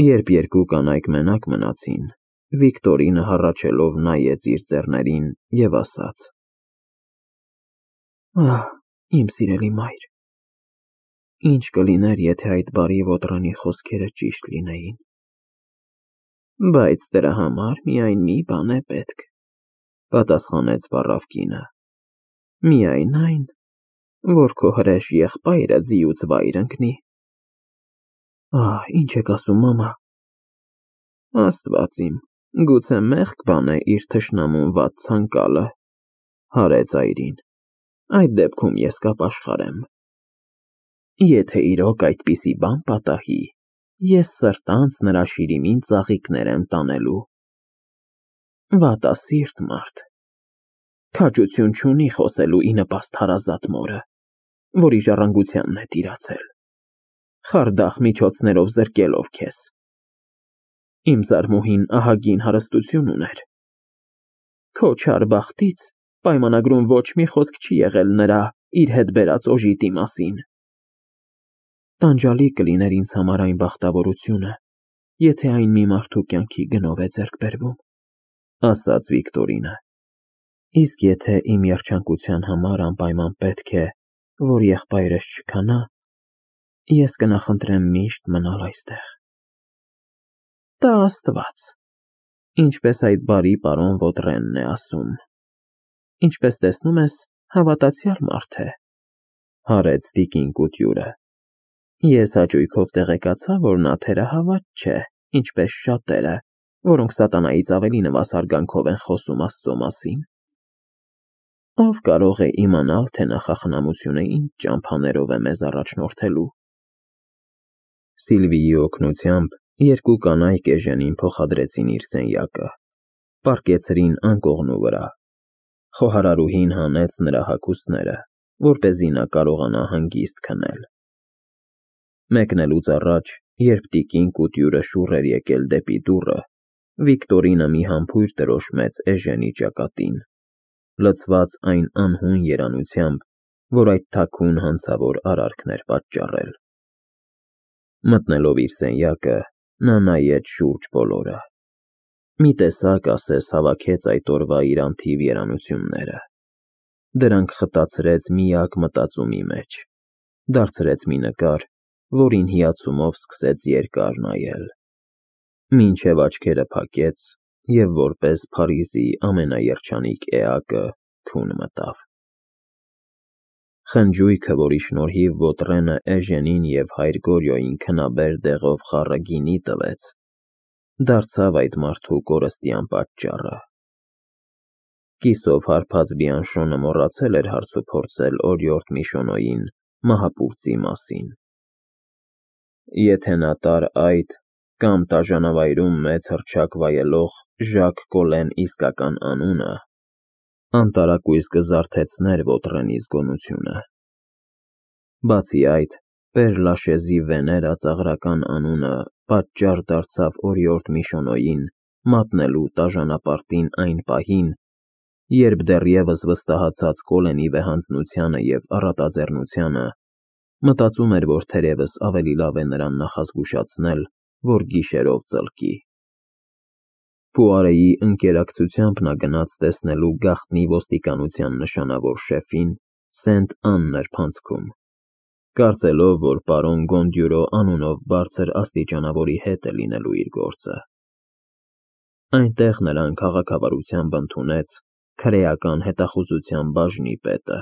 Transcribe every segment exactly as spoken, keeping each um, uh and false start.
Երբ երկու կանայք մենակ մնացին, Վիկտորինը հառաչելով նայեց իր ձեռներին և ասաց. Ահ, իմ սիրելի մայր, ինչ կլիներ, եթե այդ բարի ոտռանի խոսքերը ճիշտ լինեին։ Բայց դրա համար միայն մի բան է պետք, պատասխանեց վառավ կինը, միայն այն, որ քո հրեշ եղբայրը ձիուց վայր ընկնի։ Ահ, ինչ եք ասում, մամա։ Աստված իմ, գուցե մեղք բան է իր թշնամուն վատ ցանկալը, հարեց այրին, այդ դեպքում ես կապաշխարեմ։ Եթե իրոք այդպիսի բան պատահի, ես սրտանց նրա շիրիմին ծաղիկներ եմ տանելու։ Վատասիրտ մարդ, քաջություն չունի խոսելու ի նպաստ հարազատ մորը, որի ժառանգությանն է տիրացել, խարդախ միջոցներով զրկելով քեզ։ Իմ զարմուհին ահագին հարստություն ուներ։ Քո չար բախտից պայմանագրում ոչ մի խոսք չի եղել նրա իր հետ բերած օժիտի մասին։ Տանջալի կլիներ ինձ համար այն բախտավորությունը, եթե այն մի մարդու կյանքի գնով է ձեռք բերվում, ասաց Վիկտորինը։ Իսկ եթե իմ երջանկության համար անպայման պետք է, որ եղբայրս չքանա, ես կնախընտրեմ միշտ մնալ այստեղ։ Տա Աստված, ինչպես այդ բարի պարոն Վոտրենն է ասում։ Ինչպես տեսնում ես, հավատացյալ մարդ է, հարեց տիկին Կուտյուրը։ Ես հաճույքով տեղեկացա, որ նա թերահավատ չէ, ինչպես շատերը, որոնք սատանայից ավելի նվասար գանքով են խոսում Աստծո մասին։ Ով կարող է իմանալ, թե նախախնամությունը ինչ ճամփաներով է մեզ առաջնորդելու։ Սիլվիի օգնությամբ երկու կանայք Էժենին փոխադրեցին իր սենյակը, պառկեցրին անկողնու վրա։ Խոհարարուհին հանեց նրա հագուստները, որպեսզի նա կարողանա հանգիստ քնել։ Մեկնելուց առաջ, երբ տիկին Կուտյուրը շուռ էր եկել դեպի դուռը, Վիկտորինը մի համբույր տրոշմեց Էժենի ճակատին, լցված այն անհուն երանությամբ, որ այդ թաքուն հանցավոր արարքն էր պատճառել։ Մտնելով իր սենյակը, նա նայեց շուրջ բոլորը։ Մի տեսակ ասես հավաքեց այդ օրվա իր անթիվ երանությունները։ Դրանք խտացրեց միակ մտածումի մեջ, դարձրեց մի նկար, որին հիացումով սկսեց երկար նայել, մինչև աչքերը փակեց և որպես Փարիզի ամենաերջանիկ էակը քուն մտավ։ Խնջույքը, որի շնորհիվ Վոտրենը Էժենին և հայր Գորյոյին քնաբեր դեղով խառը գինի տվեց, դարձավ այդ մարդու կորստյան պատճառը։ Կիսով հարբած Բիանշոնը մոռացել էր հարցուփորձել օրիորդ Միշոնոյին մահապուրծի մասին։ Եթե նա տար այդ կամ տաժանավայրում մեծ հռչակ վայելող Ժակ Կոլեն իսկական անունը, անտարակույս կզարթեցներ Վոտրենի զգոնությունը։ Բացի այդ, Պեր Լաշեզի Վեներա ծաղրական անունը պատճառ դարձավ օրիորդ Միշոնոյին մատնելու տաժանապարտին այն պահին, երբ դեռևս վստահացած Կոլենի վեհանձնությանը և առատաձեռնությանը, մտածում էր, որ թերևս ավելի լավ է նրան նախազգուշացնել, որ գիշերով ծլկի։ Պուարեի ընկերակցությամբ նա գնաց տեսնելու գաղտնի ոստիկանության նշանավոր շեֆին Սենտ Անն նրբանցքում, կարծելով, որ պարոն Գոնդյուրո անունով բարձր աստիճանավորի հետ է լինելու իր գործը։ Այնտեղ նրան քաղաքավարությամբ ընդունեց քրեական հետախուզության բաժնի պետը։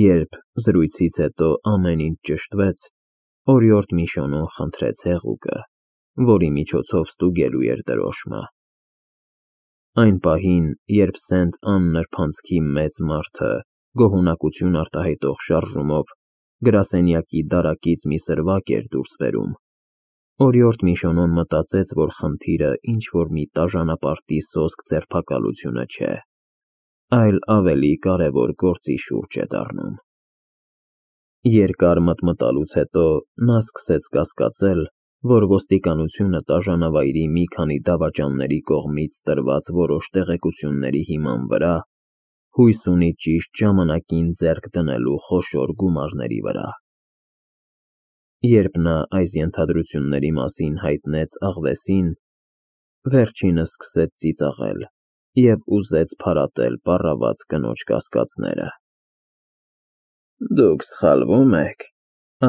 Երբ զրույցից հետո ամեն ինչ ճշտվեց, օրիորդ Միշոնոն խնդրեց հեղուկը, որի միջոցով ստուգելու էր դրոշմը։ Այն պահին, երբ Սենտ Ան նրբանցքի մեծ մարդը գոհունակություն արտահայտող շարժումով գրասենյակի դարակից մի սրվակ էր դուրս բերում, օրիորդ Միշոնոն մտածեց, որ խնդիրը ինչ-որ մի տաժանապարտի սոսկ ձերբակալությունը չէ, այլ ավելի կարևոր գործի շուրջ է դառնում։ Երկար մտմտալուց հետո նա սկսեց կասկածել, որ ոստիկանությունը տաժանավայրի մի քանի դավաճանների կողմից տրված որոշ տեղեկությունների հիման վրա հույս ունի ճիշտ ժամանակին ձեռք դնելու խոշոր գումարների վրա։ երբ նա այս ենթադրությունների մասին հայտնեց աղվեսին, վերջինս սկսեց ծիծաղել և ուզեց փարատել պառաված կնոջ կասկածները։ «Դուք սխալվում եք»,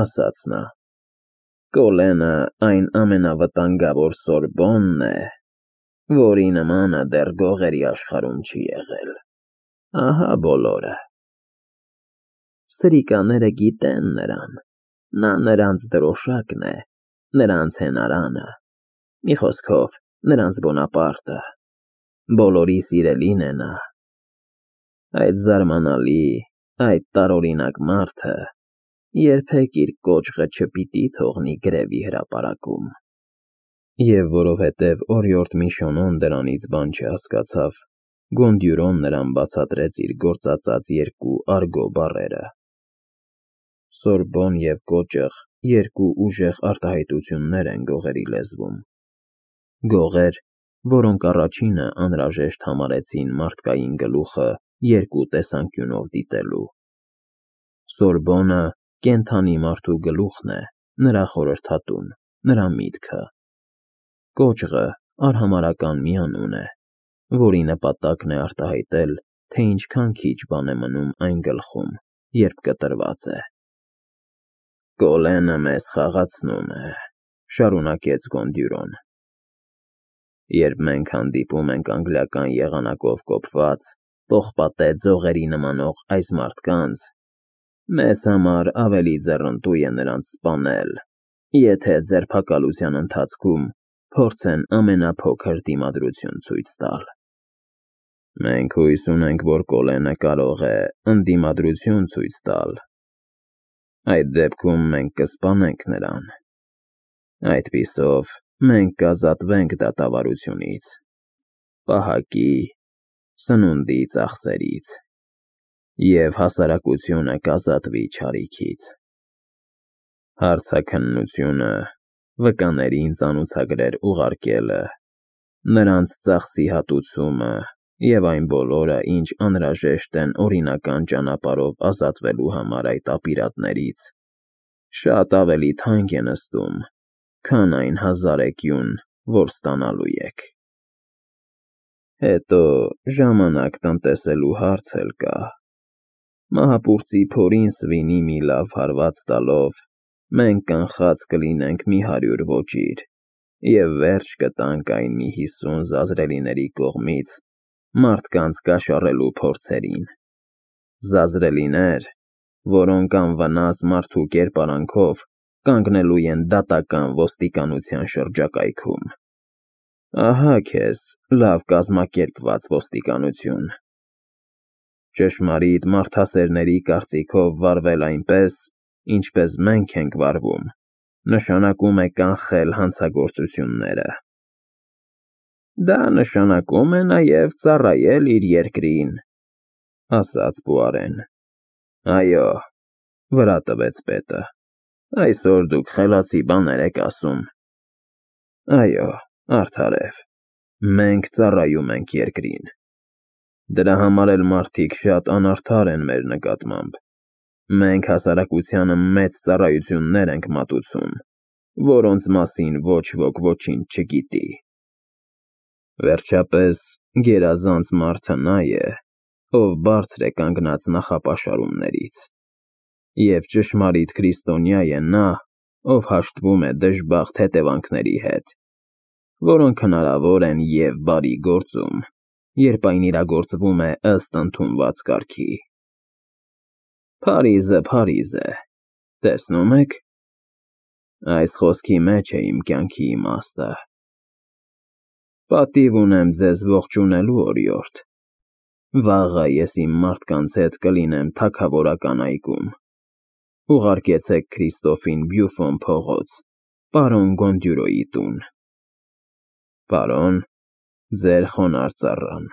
ասաց նա, «Կոլենը այն ամենավտանգավոր Սորբոնն է, որի նմանը դեռ գողերի աշխարհում չի եղել։ Ահա բոլորը»։ Սրիկաները գիտեն նրան, նա նրանց դրոշակն է, նրանց հենարանը, մի խոսքով, նրանց Բոնապարտը, բոլորի սիրելին է նա։ Այդ զարմանալի, այդ տարօրինակ մարդը երբեք իր կոճղը չպիտի թողնի գրևի հրապարակում։ Եվ որովհետև օրիորդ Միշոնոն դրանից բան չհասկացավ, Գոնդյուրոն նրան բացատրեց իր գործածած երկու արգո բառերը։ Սորբոն և կոճղ երկու ուժեղ արտահայտություններ են գողերի լեզվում, գողեր, որոնք առաջինը անհրաժեշտ համարեցին մարդկային գլուխը երկու տեսանկյունով դիտելու։ Սորբոնը կենդանի մարդու գլուխն է, նրա խորհրդատուն, նրա միտքը։ Կոճղը արհամարհական մի անուն է, որի նպատակն է արտահայտել, թե ինչքան քիչ բան է մնում այն գլխում, երբ կտրված է։ «Կոլենը մեզ խաղացնում է», շարունակեց Գոնդյուրոն։ «Երբ մենք հանդիպում ենք անգլիական եղանակով կոփված, պողպատե ձողերի նմանող այս մարդկանց, մեզ համար ավելի ձեռնտու է նրանց սպանել, եթե ձերբակալության ընթացքում փորձեն ամենափոքր դիմադրություն ցույց տալ։ Մենք հույս ունենք, որ Կոլենը կարող է ընդդիմադրություն ցույց տալ։ Այդ դեպքում մենք կսպանենք նրան։ Այդպիսով մենք կազատվենք դատավարությունից, պահակի, սնունդի ծախսերից, և հասարակությունը կազատվի չարիքից։ Հարցաքննությունը, վկաներին ծանուցագրեր ուղարկելը, նրանց ծախսի հատուցումը և այն բոլորը, ինչ անհրաժեշտ են օրինական ճանապարհով ազատվելու համար այդ ապիրատներից, շատ ավելի թանկ է նստում, քան այն հազարեկյուն, որ ստանալու եք։ Հետո ժամանակ տնտեսելու հարց էլ կա։ Մահապուրծի փորին սվինի մի լավ հարված տալով մենք կանխած կլինենք մի հարյուր ոճիր և վերջ կտանք այն մի հիսուն զազրելիների կողմից մարդկանց կաշառելու փորձերին։ Զազրելիներ, որոնք անվնաս մարդու կերպարանքով կանգնելու են դատական ոստիկանության շրջակայքում։ Ահա քեզ լավ կազմակերպված ոստիկանություն։ Ճշմարիտ մարդասերների կարծիքով վարվել այնպես, ինչպես մենք ենք վարվում, նշանակում է կանխել հանցագործությունները։ Դա նշանակում է նաև ծառայել իր երկրին, ասաց Պուարեն։ Այո, վրա տվեց պետը, այսօր դուք խելացի բաներ եք ասում։ Այո, արդարև, մենք ծառայում ենք երկրին։ Դրա համար էլ մարդիկ շատ անարդար են մեր նկատմամբ։ Մենք հասարակությանը մեծ ծառայություններ ենք մատուցում, որոնց մասին ոչ ոք ոչինչ չգիտի։ Վերջապես, գերազանց մարդը նա է, ով բարձր է կանգնած նախապաշարումներից, և ճշմարիտ քրիստոնյա է նա, ով հաշտվում է դժբախտ հետևանքների հետ, որոնք հնարավոր են և բարի գործում, երբ այն իրագործվում է ըստ ընդունված կարգի։ Փարիզը Փարիզ է, տեսնում եք։ Այս խոսքի մեջ է իմ կյանքի իմաստը։ Պատիվ ունեմ ձեզ ողջունելու, օրիորդ։ Վաղը ես իմ մարդկանց հետ կլինեմ թագավորական այգում։ Ուղարկեցեք Քրիստոֆին Բյուֆոն փողոց, պարոն Գոնդյուրոյի տուն։ Պարոն, ձեր խոնարհ ծառան։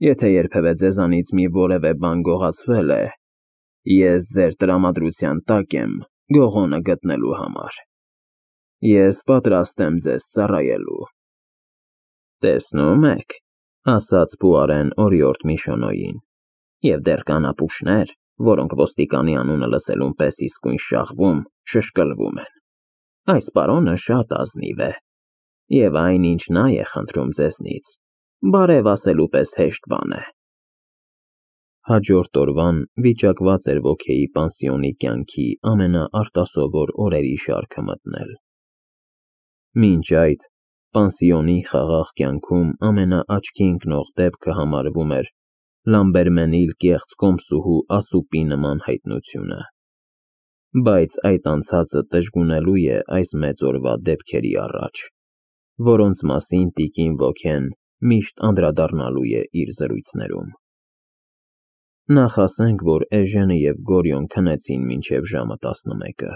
Եթե երբևէ ձեզանից մի որևէ բան գողացվել է, ես ձեր տրամադրության տակ եմ գողոնը գտնելու համար։ Ես պատրաստ եմ ձեզ ծառայելու։ Տեսնում եք, ասաց Պուարեն օրիորդ Միշոնոյին, և դեռ կան ապուշներ։ որոնք ոստիկանի անունը լսելուն պես իսկույն շաղվում, շշկլվում են։ Այս պարոնը շատ ազնիվ է, և այն, ինչ նա է խնդրում ձեզնից, բարև ասելու պես հեշտ բան է։ Հաջորդ օրվան վիճակված էր Ոքեի պանսիոնի կյանքի ամենաարտասովոր օրերի շարքը մտնել։ Մինչ այդ, պանսիոնի խաղաղ կյանքում ամենաաչքի ընկնող դեպքը համարվում էր Լամբերմենիլ կեղծ կոմսուհու Ասուպի նման հայտնությունը, բայց այդ անցածը տժգունելու է այս մեծ օրվա դեպքերի առաջ, որոնց մասին տիկին Ոքեն միշտ անդրադառնալու է իր զրույցներում։ Նախ ասենք, որ Էժենը և Գորիոն քնեցին մինչև ժամը տասնմեկը։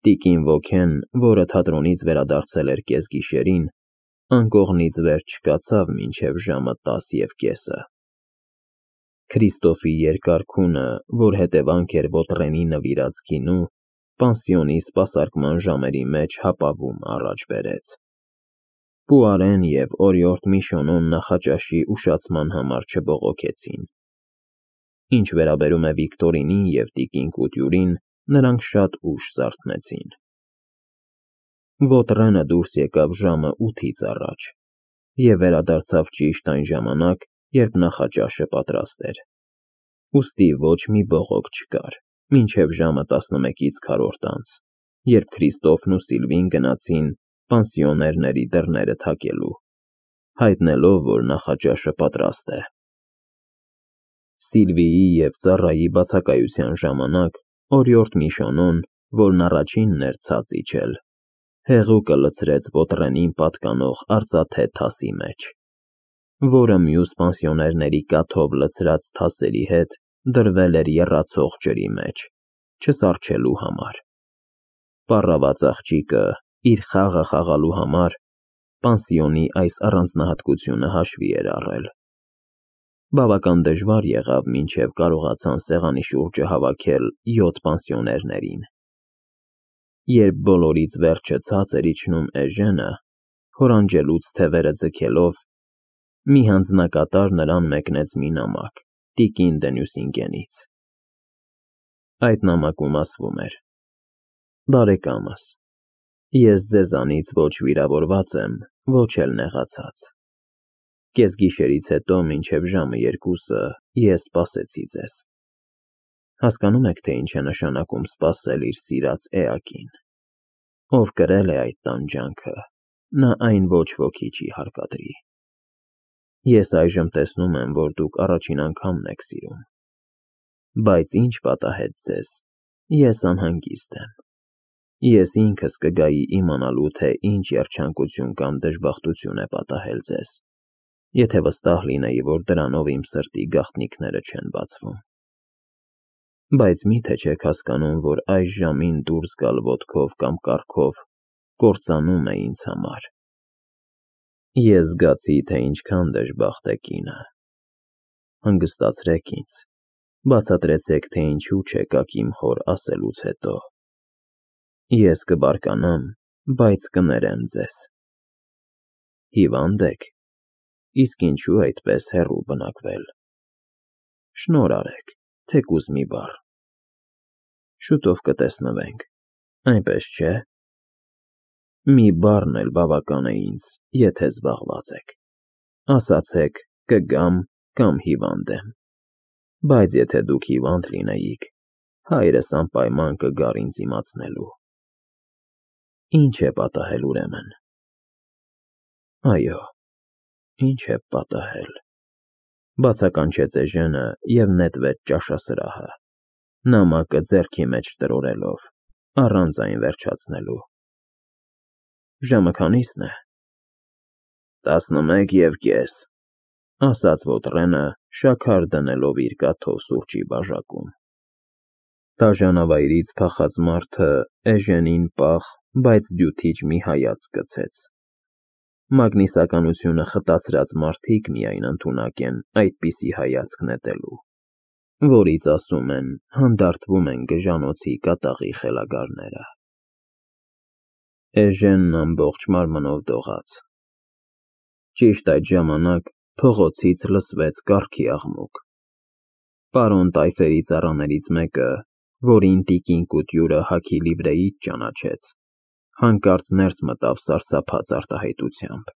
Տիկին Ոքեն, որը թատրոնից վերադարձել էր կեսգիշերին, անկողնից վերջ չկացավ մինչև ժամը տասը և կեսը։ Քրիստոֆի երկար քունը, որ հետևանք էր Ոտրենի նվիրած գինու, պանսիոնի սպասարկման ժամերի մեջ հապավում առաջ բերեց։ Պուարեն և օրիորդ Միշոնոն նախաճաշի ուշացման համար չբողոքեցին։ Ինչ վերաբերում է Վիկտորինին և տիկին Կուտյուրին, նրանք շատ ուշ զարթնեցին։ Ոտրենը դուրս եկավ ժամը ութից առաջ և վերադարձավ ճիշտ այն ժամանակ, երբ նախաճաշը պատրաստ էր։ Ուստի ոչ մի բողոք չկար, մինչև ժամը տասնմեկից քառորդ անց, երբ Քրիստոֆն ու Սիլվին գնացին պանսիոներների դռները թակելու, հայտնելով, որ նախաճաշը պատրաստ է։ Սիլվիի և ծառայի բացակայության ժամանակ օրիորդ Միշոնոն, որն առաջինն էր ցած իջել, հեղուկը լցրեց Ոտրենին պատկանող արծաթե թասի մեջ, որը մյուս պանսիոներների կաթով լցրած թասերի հետ դրվել էր եռացող ջրի մեջ, չսառչելու համար։ Պառաված աղջիկը, իր խաղը խաղալու համար, պանսիոնի այս առանձնահատկությունը հաշվի էր առել։ Բավական դժվար եղավ, մինչև կարողացան սեղանի շուրջը հավաքել յոթ պանսիոներներին։ Երբ բոլորից վերջը ցած էր իջնում Էժենը, հորանջելուց թևերը ձգելով, մի հանձնակատար նրան մեկնեց մի նամակ տիկին Դենյուսինգենից։ Այդ նամակում ասվում էր. «Բարեկամս, ես ձեզանից ոչ վիրավորված եմ, ոչ էլ նեղացած։ Կեսգիշերից հետո մինչև ժամը երկուսը ես սպասեցի ձեզ։ Հասկանո՞ւմ եք, թե ինչ է նշանակում սպասել իր սիրած էակին։ Ով կրել է այդ տանջանքը, նա այն ոչ ոքի չի հարկադրի։ Ես այժմ տեսնում եմ, որ դուք առաջին անգամն եք սիրում։ Բայց ինչ պատահեց ձեզ, ես անհանգիստ եմ։ Ես ինքս կգայի իմանալու, թե ինչ երջանկություն կամ դժբախտություն է պատահել ձեզ, եթե վստահ լինեի, որ դրանով իմ սրտի գաղտնիքները չեն բացվում։ Բայց մի՞թե չեք հասկանում, որ այս ժամին դուրս գալ ոտքով կամ կառքով կործանում է ինձ համար։ Ես զգացի, թե ինչքան դժբախտ է կինը։ Հանգստացրեք ինձ, բացատրեցեք, թե ինչու չեկաք իմ հոր ասելուց հետո։ Ես կբարկանամ, բայց կներեմ ձեզ։ Հիվա՞նդ եք, իսկ ինչու այդպես հեռու բնակվել։ Շնորհ արեք, թեկուզ մի բառ։ Շուտով կտեսնվենք, այնպես չէ։ Մի բառն էլ բավական է ինձ, եթե զբաղված եք։ Ասացեք՝ կգամ կամ հիվանդ եմ։ Բայց եթե դուք հիվանդ լինեիք, հայրս անպայման կգար ինձ իմացնելու։ Ինչ է պատահել ուրեմն։ Այո, ինչ է պատահել, բացականչեց Էժենը և նետվեց ճաշասրահը, նամակը ձեռքի մեջ տրորելով, առանց այն վերջացնելու։ Ժամը քանի՞սն է։ Տասնմեկ և կես, ասաց Ոտրենը, շաքար դնելով իր կաթով սուրճի բաժակում։ Դաժանավայրից փախած մարդը Էժենին պաղ, բայց դյութիչ մի հայացք գցեց։ Մագնիսականությունը խտացրած մարդիկ միայն ընդունակ են այդպիսի հայացք նետելու, որից, ասում են, հանդարտվում են գժանոցի կատաղի խելագարները։ Էժենն ամբողջ մարմնով դողաց։ Ճիշտ այդ ժամանակ փողոցից լսվեց կառքի աղմուկ։ Պարոն Տայֆերի ծառաներից մեկը, որին տիկին Կուտյուրը հագի լիվրեից ճանաչեց, հանկարծ ներս մտավ սարսափած արտահայտությամբ։